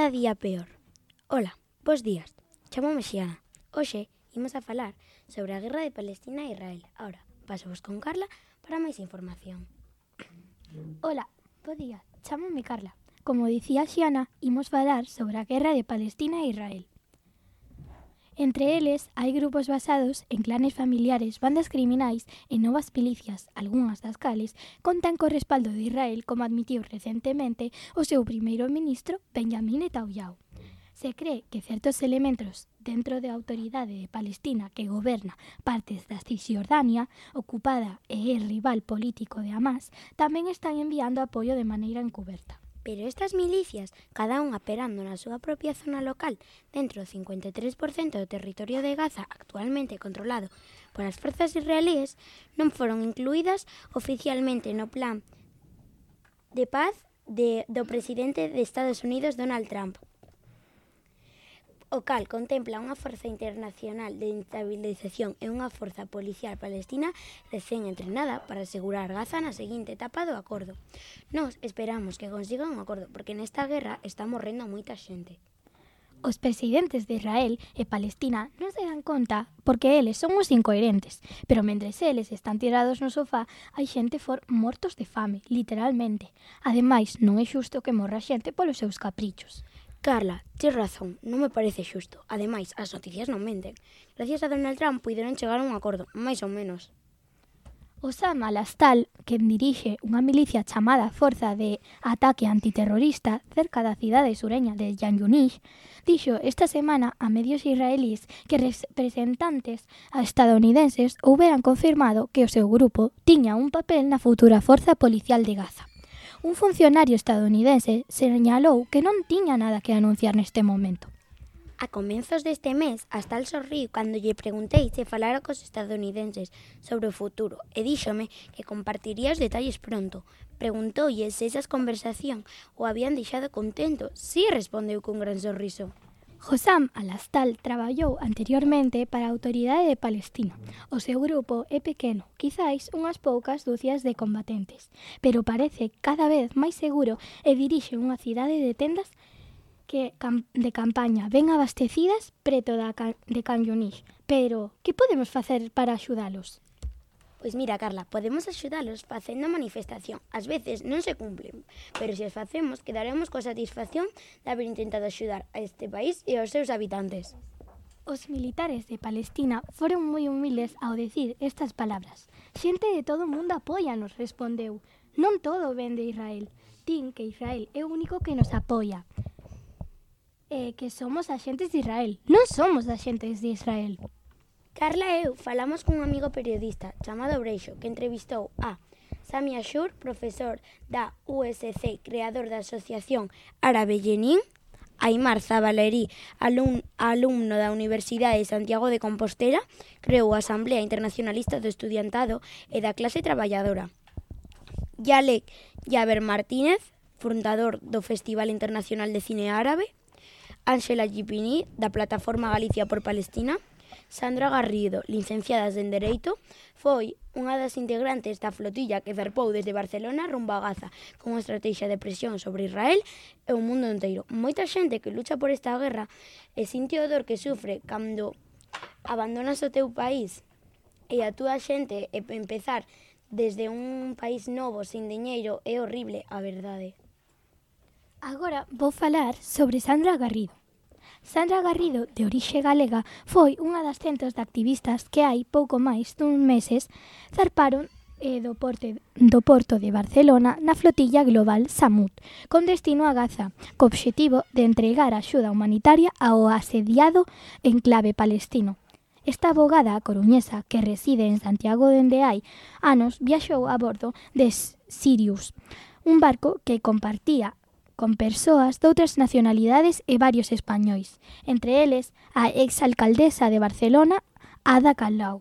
cada día peor. Ola, bos días. Chámome Xiana. Hoxe imos a falar sobre a guerra de Palestina e Israel. Ahora, pasovos con Carla para máis información. Ola, bo día. Chámome Carla. Como dicía Xiana, imos falar sobre a guerra de Palestina e Israel. Entre eles, hai grupos basados en clanes familiares, bandas criminais e novas milicias, algunhas das cales contan co respaldo de Israel, como admitiu recentemente o seu primeiro ministro, Benjamin Netanyahu. Se cree que certos elementos dentro da autoridade de Palestina que goberna partes da Cisjordania, ocupada e é rival político de Hamás, tamén están enviando apoio de maneira encuberta. Pero estas milicias, cada unha operando na súa propia zona local, dentro do 53% do territorio de Gaza actualmente controlado por as forzas israelíes, non foron incluídas oficialmente no plan de paz do presidente de Estados Unidos, Donald Trump, o cal contempla unha forza internacional de estabilización e unha forza policial palestina recén entrenada para asegurar Gaza na seguinte etapa do acordo. Nós esperamos que consigan un acordo, porque nesta guerra está morrendo moita xente. Os presidentes de Israel e Palestina non se dan conta porque eles son os incoherentes, pero mentres eles están tirados no sofá, hai xente mortos de fame, literalmente. Ademais, non é xusto que morra xente polos seus caprichos. Carla, tes razón, non me parece xusto. Ademais, as noticias non menten. Gracias a Donald Trump puideron chegar a un acordo, máis ou menos. Osama al-Astal, que dirixe unha milicia chamada Forza de Ataque Antiterrorista cerca da cidade sureña de Khan Yunis, dixo esta semana a medios israelíes que representantes estadounidenses houberan confirmado que o seu grupo tiña un papel na futura Forza Policial de Gaza. Un funcionario estadounidense señalou que non tiña nada que anunciar neste momento. A comenzos deste mes, Astal sorriu cando lle preguntei se falara cos estadounidenses sobre o futuro e díxome que compartiría os detalles pronto. Preguntoulle se esas conversacións o habían deixado contento. Sí, respondeu cun gran sorriso. Osama al-Astal traballou anteriormente para a Autoridade de Palestina. O seu grupo é pequeno, quizáis unhas poucas dúcias de combatentes, pero parece cada vez máis seguro e dirixe unha cidade de tendas de campaña ben abastecidas preto de Khan Yunis. Pero, que podemos facer para axudalos? Pois mira, Carla, podemos axudalos facendo manifestación. Ás veces non se cumplen, pero se as facemos, quedaremos coa satisfacción de haber intentado axudar a este país e aos seus habitantes. Os militares de Palestina foron moi humildes ao decir estas palabras. Xente de todo o mundo apóianos, respondeu. Non todo ven de Israel. Din que Israel é o único que nos apoia. Que somos axentes de Israel. Non somos axentes de Israel. Carla e eu falamos cun amigo periodista chamado Breixo, que entrevistou a Sami Ashur, profesor da USC, creador da Asociación Árabe Jenin, Aimar Zabalerí, alumno da Universidade de Santiago de Compostela, creou a Asamblea Internacionalista do Estudiantado e da Clase Traballadora. Yalek Yaber Martínez, fundador do Festival Internacional de Cine Árabe, Ángela Gipini, da Plataforma Galicia por Palestina, Sandra Garrido, licenciada en Dereito, foi unha das integrantes da flotilla que zarpou desde Barcelona rumbo a Gaza con unha estrategia de presión sobre Israel e o mundo inteiro. Moita xente que lucha por esta guerra e sinte o dor que sufre cando abandonas o teu país e a túa xente e empezar desde un país novo, sin diñeiro, é horrible, a verdade. Agora vou falar sobre Sandra Garrido. Sandra Garrido, de orixe galega, foi unha das centos de activistas que hai pouco máis dun meses zarparon do porto de Barcelona na flotilla global Samud, con destino a Gaza, co obxectivo de entregar axuda humanitaria ao asediado enclave palestino. Esta abogada coruñesa, que reside en Santiago dende hai anos, viaxou a bordo de Sirius, un barco que compartía con persoas de outras nacionalidades e varios españois, entre eles a exalcaldesa de Barcelona, Ada Colau.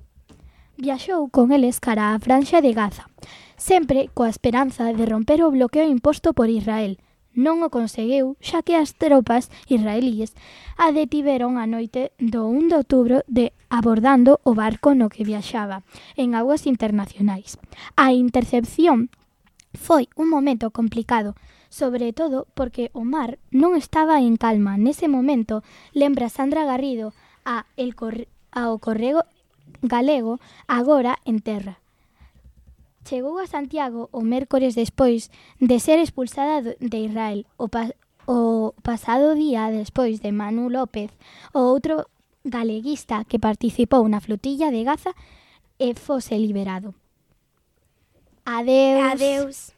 Viaxou con eles cara á franxa de Gaza, sempre coa esperanza de romper o bloqueo imposto por Israel. Non o conseguiu, xa que as tropas israelíes a detiveron a noite do 1 de outubro abordando o barco no que viaxaba en aguas internacionais. A intercepción foi un momento complicado, sobre todo porque o mar non estaba en calma. Nese momento, lembra Sandra Garrido ao correo galego agora en terra. Chegou a Santiago o mércores despois de ser expulsada de Israel. O pasado día despois de Manu López, o outro galeguista que participou na flotilla de Gaza, fose liberado. Adeus. Adeus.